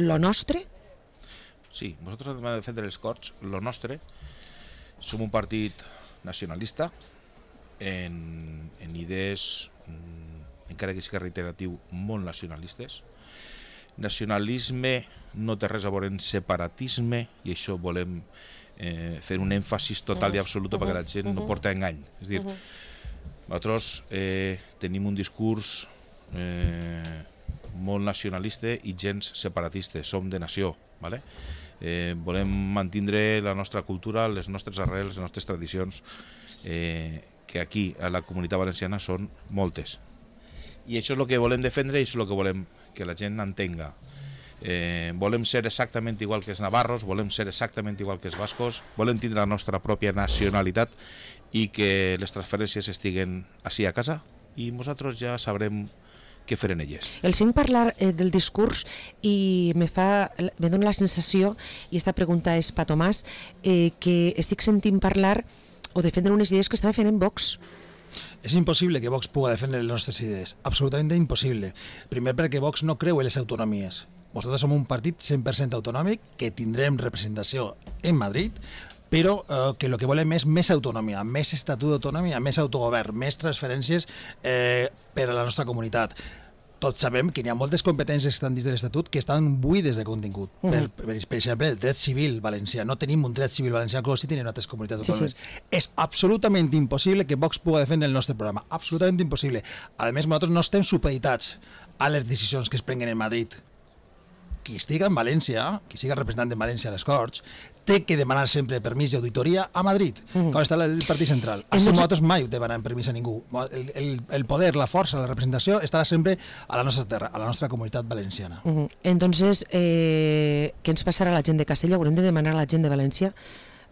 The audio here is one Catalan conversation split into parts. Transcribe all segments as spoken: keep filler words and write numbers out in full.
lo nostre? Sí, nosotros además de defender els Corts, lo nostre, som un partit nacionalista en, en idees, encara que sigui reiteratiu, molt nacionalistes. Nacionalisme no té res a veure amb separatisme, i això volem eh, fer un èmfasis total i absolut perquè la gent no porta engany. És a dir, nosaltres eh, tenim un discurs eh, molt nacionalista i gens separatista, som de nació, ¿vale? Eh, volem mantindre la nostra cultura, les nostres arrels, les nostres tradicions, eh, que aquí a la Comunitat Valenciana són moltes. I això és el que volem defendre i això és el que volem que la gent entenga. Eh, volem ser exactament igual que els navarros, volem ser exactament igual que els bascos, volem tindre la nostra pròpia nacionalitat i que les transferències estiguen així a casa i nosaltres ja sabrem què fer en elles. El sent parlar eh, del discurs i me fa, me dona la sensació, i esta pregunta és per Tomàs, eh, que estic sentint parlar o defendre unes idees que està defendent Vox. És impossible que Vox pugui defendre les nostres idees, absolutament impossible. Primer perquè Vox no creu en les autonomies. Nosaltres som un partit cent per cent autonòmic, que tindrem representació en Madrid, però eh, que el que volem és més autonomia, més estatut d'autonomia, més autogovern, més transferències eh, per a la nostra comunitat. Tots sabem que hi ha moltes competències que estan dins de l'Estatut que estan buides de contingut. Uh -huh. per, per, per exemple, el dret civil valencià. No tenim un dret civil valencià com si tenen altres comunitats autònomes. Sí, sí. És absolutament impossible que Vox pugui defendre el nostre programa. Absolutament impossible. A més, nosaltres no estem supeditats a les decisions que es prenguen en Madrid. Qui estigui en València, qui sigui representant de València a les Corts, té que demanar sempre permís d'auditoria a Madrid, mm. com està el Partit Central. Així entonces... nosaltres mai demanem permís a ningú. El, el, el poder, la força, la representació estarà sempre a la nostra terra, a la nostra comunitat valenciana. Mm -hmm. Entonces, eh, què ens passarà a la gent de Castelló? Haurem de demanar a la gent de València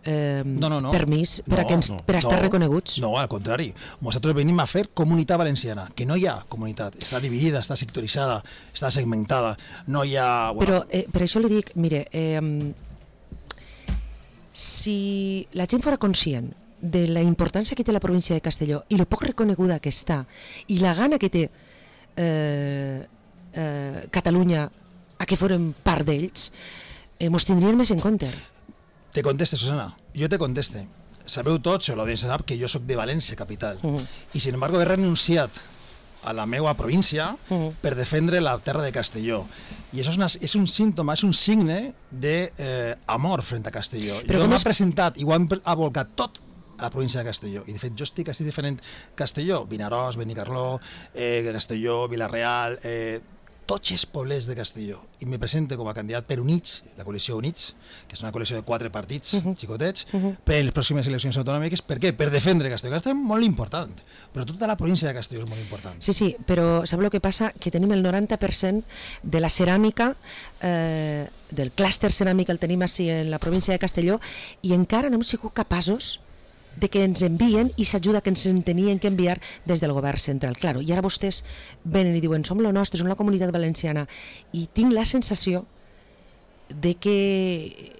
eh, no, no, no. permís per, no, a, que ens, no, per a estar no, reconeguts? No, al contrari. Nosaltres venim a fer comunitat valenciana, que no hi ha comunitat. Està dividida, està sectoritzada, està segmentada. No hi ha... Bueno, Però eh, per això li dic, mire... Eh, si la gent fora conscient de la importància que té la província de Castelló i lo poc reconeguda que està i la gana que té eh, eh, Catalunya a que fórem part d'ells, eh, mos tindrien més en compte. Te conteste, Susana, jo te conteste. Sabeu tots, o l'audiència sap, que jo sóc de València capital, uh -huh. i sin embargo he renunciat a la meva província uh -huh. per defendre la terra de Castelló. I això és, una, és un símptoma, és un signe d'amor eh, front a Castelló. Però jo m'he és... presentat i ho hem abolcat tot a la província de Castelló. I de fet jo estic així diferent Castelló, Vinaròs, Benicarló, eh, Castelló, Vila-real... Eh, tots els poblets de Castelló, i me presento com a candidat per Units, la coalició Units, que és una coalició de quatre partits uh -huh. xicotets, uh -huh. per les pròximes eleccions autonòmiques. Per què? Per defendre Castelló. Castelló és molt important, però tota la província de Castelló és molt important. Sí, sí, però sap el que passa? Que tenim el noranta per cent de la ceràmica, eh, del clúster ceràmic el tenim així en la província de Castelló, i encara no hem sigut capaços de que ens envien i s'ajuda que ens en tenien que enviar des del govern central. Claro, i ara vostès venen i diuen som lo nostre, som la comunitat valenciana, i tinc la sensació de que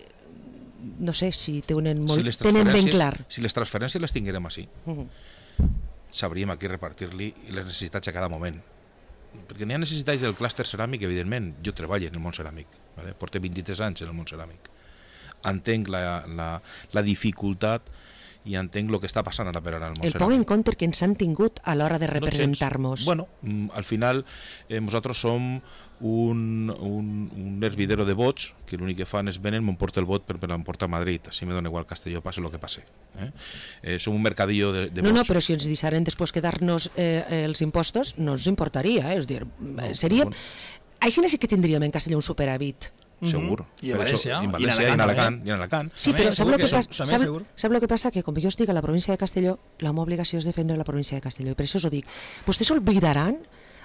no sé si tenen, molt, si tenen ben clar. Si les transferències les tinguérem així, uh -huh. sabríem a qui repartir-li les necessitats a cada moment. Perquè n'hi ha necessitats del clúster ceràmic, evidentment. Jo treballo en el món ceràmic, ¿vale? Porto vint-i-tres anys en el món ceràmic. Entenc la, la, la dificultat i entenc el que està passant ara per ara al món el ceràmic. poc en compte que ens han tingut a l'hora de representar-nos. No, bueno, al final eh, nosaltres som un, un, un hervidero de vots que l'únic que fan és venen, m'emporta el vot per, per emportar a Madrid, així me dona igual Castelló, passe el que passe. Eh? Eh, som un mercadillo de, de no, vots. No, però si ens deixaren després quedar-nos eh, els impostos no ens importaria, eh? És dir, no, seria... Bueno. Així sí que tindríem en Castelló un superàvit. Segur. I a València, i en València, i en Alacant. I en Alacant. Sí, però sap el que, que, sap, sap que passa? Que com jo estic a la província de Castelló, la meva obligació és defendre la província de Castelló, i per això us ho dic. Vostès s'oblidaran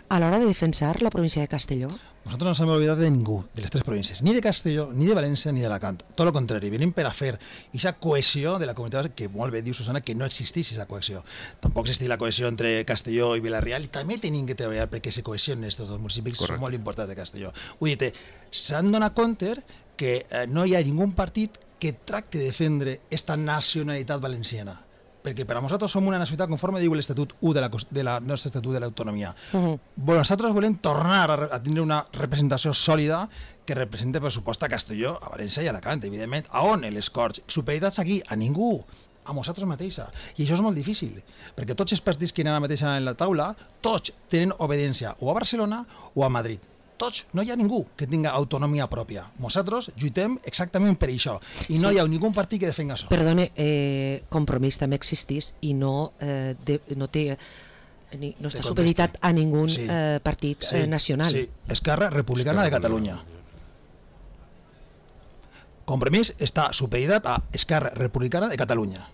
a l'hora de defensar la província de Castelló? Nosaltres no s'hem oblidat de ningú, de les tres províncies, ni de Castelló, ni de València, ni d'Alacant. Tot el contrari, venim per a fer aquesta cohesió de la comunitat, que molt bé diu Susana que no existís aquesta cohesió. Tampoc existeix la cohesió entre Castelló i Vila-real, i també tenim que treballar perquè se cohesionen aquests dos municipis que són molt importants de Castelló. Vull dir, s'han donat compte que eh, no hi ha ningú partit que tracte de defendre aquesta nacionalitat valenciana. perquè per a nosaltres som una nacionalitat conforme diu l'Estatut u de la, de la nostre Estatut de l'Autonomia. Uh -huh. Nosaltres volem tornar a, a tenir una representació sòlida que represente, per supost, a Castelló, a València i a Alacant, evidentment. A on les Corts? Superioritats aquí? A ningú. A nosaltres mateixa. I això és molt difícil, perquè tots els partits que hi ha ara mateix en la taula, tots tenen obediència o a Barcelona o a Madrid. Tots, no hi ha ningú que tinga autonomia pròpia. Nosaltres lluitem exactament per això i no sí. hi ha ningú partit que defenga això. Perdone, eh, Compromís també existís i no, eh, de, no té ni, no està supeditat a ningú sí. eh, partit sí. eh, nacional. Sí, Esquerra Republicana Esquerra de Catalunya. Compromís està supeditat a Esquerra Republicana de Catalunya.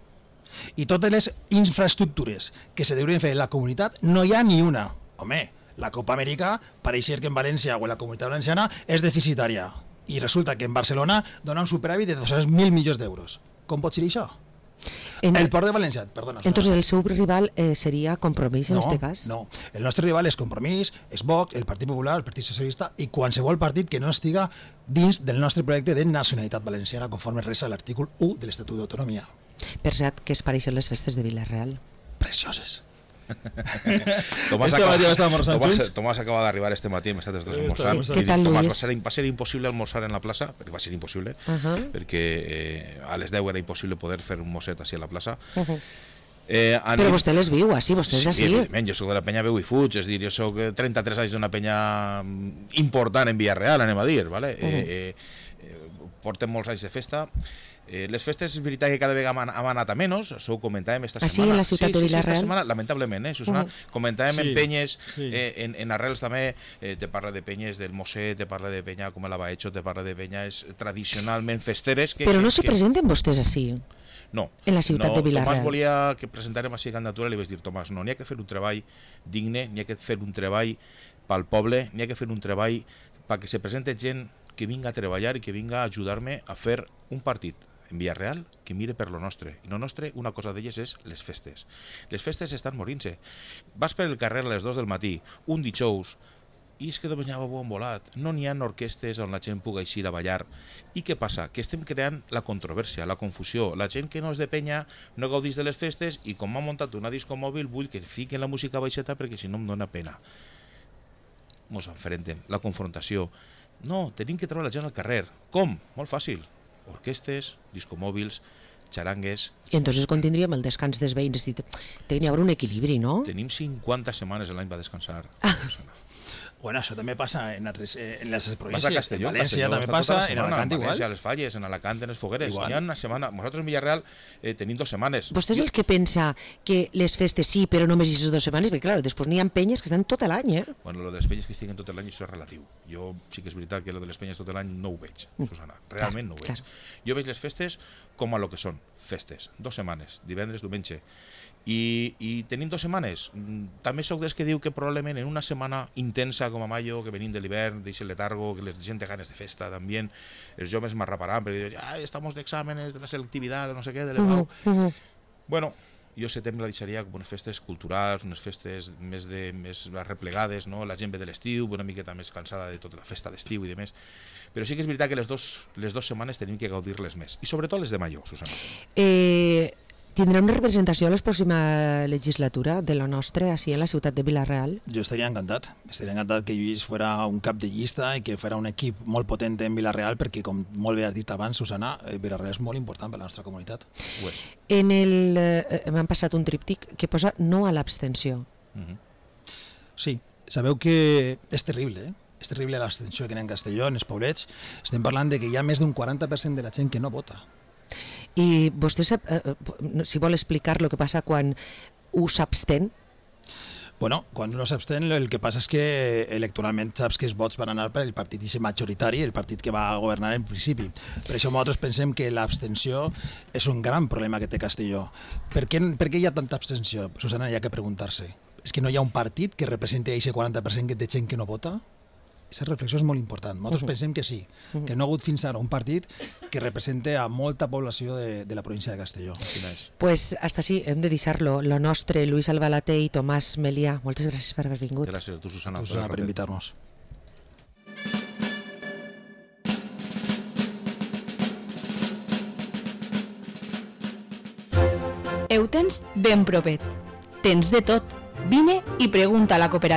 I totes les infraestructures que se deurien fer en la comunitat no hi ha ni una. Home, la Copa Amèrica pareix ser que en València o en la Comunitat Valenciana és deficitària i resulta que en Barcelona dona un superàvit de dos-cents mil milions d'euros. Com pot ser això? En, el Port de València, perdona. Entonces el seu rival eh, seria Compromís en no, este cas? No, el nostre rival és Compromís, és Vox, el Partit Popular, el Partit Socialista i qualsevol partit que no estiga dins del nostre projecte de nacionalitat valenciana conforme resa l'artícul u de l'Estatut d'Autonomia. Per cert, què es pareixen les festes de Vila-real? Precioses. Tomàs, este acaba, Tomàs, Tomàs acaba d'arribar este matí, hem estat els dos almorzant. Sí. Què tal, Tomàs, Luis? va ser, va ser impossible almorzar en la plaça, perquè va ser impossible, uh -huh. perquè eh, a les deu era impossible poder fer un mosset així a la plaça. Uh -huh. eh, Però nit... vostè les viu, així, vostè és sí, així. Evidentment, jo soc de la penya Veu i Fuig, és dir, jo soc trenta-tres anys d'una penya important en Villarreal, anem a dir, ¿vale? Uh -huh. eh, eh, portem molts anys de festa. Eh, les festes és veritat que cada vegada han, han anat a menys, això ho comentàvem esta ah, setmana. Sí, en la ciutat sí, de Vila-real? Sí, esta setmana, lamentablement, eh, Susana, uh -huh. comentàvem sí, en penyes, sí. eh, en, en arrels també, eh, te parla de penyes del Mosset, te parla de penya com el Abaecho, te parla de penyes tradicionalment festeres. Que, Però no que, se que... presenten vostès així? No, en la ciutat no, de Vila-real. Tomàs volia que presentàrem així candidatura i li vaig dir, Tomàs, no, n'hi ha que fer un treball digne, n'hi ha que fer un treball pel poble, n'hi ha que fer un treball perquè se presente gent que vinga a treballar i que vinga a ajudar-me a fer un partit en Villarreal que mire per lo nostre. I lo nostre, una cosa d'elles és les festes. Les festes estan morint-se. Vas per el carrer a les dos del matí, un dijous, i és que només n'hi ha bon volat. No n'hi ha orquestes on la gent pugui eixir a ballar. I què passa? Que estem creant la controvèrsia, la confusió. La gent que no és de penya no gaudís de les festes i com m'ha muntat una disco mòbil vull que fiquen la música baixeta perquè si no em dóna pena. Mos enfrenten. La confrontació. No, tenim que treure la gent al carrer. Com? Molt fàcil. Orquestes, discomòbils, xarangues... I entonces quan tindríem el descans dels veïns? Tenia un equilibri, no? Tenim cinquanta setmanes l'any per descansar. Ah. Bueno, això també passa en, altres, en les províncies. Vas a Castelló, en València Castelló, també passa, en Alacant igual. En València, igual. a les Falles, en Alacant, en les Fogueres. Igual. Hi ha una setmana. Nosaltres en Villarreal eh, tenim dos setmanes. Vostè és el que pensa que les festes sí, però només aquestes dues setmanes? Perquè, clar, després n'hi ha penyes que estan tot l'any, eh? Bueno, lo de les penyes que estiguen tot l'any, això és relatiu. Jo sí que és veritat que lo de les penyes tot l'any no ho veig, Susana. Realment no ho veig. Jo veig les festes com a lo que són, festes. Dos setmanes, divendres, diumenge. I, i tenim dos setmanes. També sóc dels que diu que probablement en una setmana intensa com a maio, que venim de l'hivern, deixa el letargo, que la gent té ganes de festa també, els joves m'arraparan perquè diuen, ah, estamos d'exàmenes de la selectivitat, de no sé què, de l'E B A U. Uh -huh, uh -huh. Bueno, jo setembre la deixaria com unes festes culturals, unes festes més, de, més replegades, no? La gent ve de l'estiu, una miqueta més cansada de tota la festa d'estiu i de més. Però sí que és veritat que les dos, les dos setmanes tenim que gaudir-les més. I sobretot les de maio, Susana. Eh... Tindrà una representació a la pròxima legislatura de la nostra, així en la ciutat de Vila-real? Jo estaria encantat. Estaria encantat que Lluís fora un cap de llista i que fora un equip molt potent en Vila-real, perquè, com molt bé has dit abans, Susana, Vila-real és molt important per la nostra comunitat. Ho és. En el... Eh, m'han passat un tríptic que posa no a l'abstenció. Uh -huh. Sí, sabeu que és terrible, eh? És terrible l'abstenció que hi ha en Castelló, en els poblets. Estem parlant de que hi ha més d'un quaranta per cent de la gent que no vota. I vostè sap, eh, si vol explicar el que passa quan us abstén? Bueno, quan no s'abstén, el que passa és que electoralment saps que els vots van anar per el partit majoritari, el partit que va governar en principi. Per això nosaltres pensem que l'abstenció és un gran problema que té Castelló. Per què, per què hi ha tanta abstenció? Susana, hi ha que preguntar-se. És que no hi ha un partit que representi aquest quaranta per cent de gent que no vota? Aquesta reflexió és molt important. Nosaltres uh -huh. pensem que sí, uh -huh. que no ha hagut fins ara un partit que represente a molta població de, de la província de Castelló. Pues hasta així hem de deixar-lo. Lo nostre, Luis Albalaté i Tomàs Melià. Moltes gràcies per haver vingut. Gràcies a tu, Susana, a tu, Susana per invitar-nos. Ho tens ben propet. Tens de tot. Vine i pregunta a la cooperativa.